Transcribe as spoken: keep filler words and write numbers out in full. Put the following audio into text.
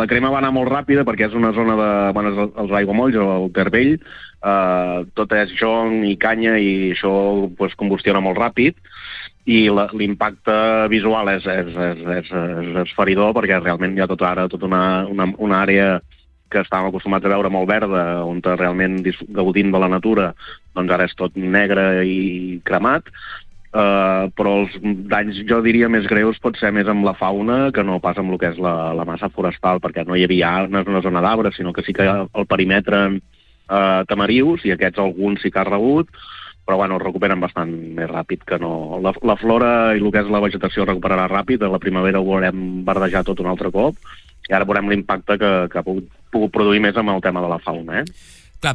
La crema va anar molt ràpida perquè és una zona de... Bueno, els aiguamolls, el Tervell, eh, tot és jonc i canya i això pues, combustiona molt ràpid i l'impacte visual és, és, és, és, és esferidor perquè realment hi ha tot ara tota una, una, una àrea que estàvem acostumats a veure molt verda, on realment gaudint de la natura, doncs ara és tot negre i cremat. Uh, però els danys, jo diria, més greus pot ser més amb la fauna que no pas amb el que és la, la massa forestal, perquè no hi havia no és una zona d'arbres, sinó que sí que al perímetre uh, tamarius, i aquests alguns sí que ha rebut, però bueno, es recuperen bastant més ràpid que no. La, la flora i el que és la vegetació es recuperarà ràpid, a la primavera ho veurem verdejar tot un altre cop, i ara veurem l'impacte que, que ha pogut, pogut produir més amb el tema de la fauna, eh?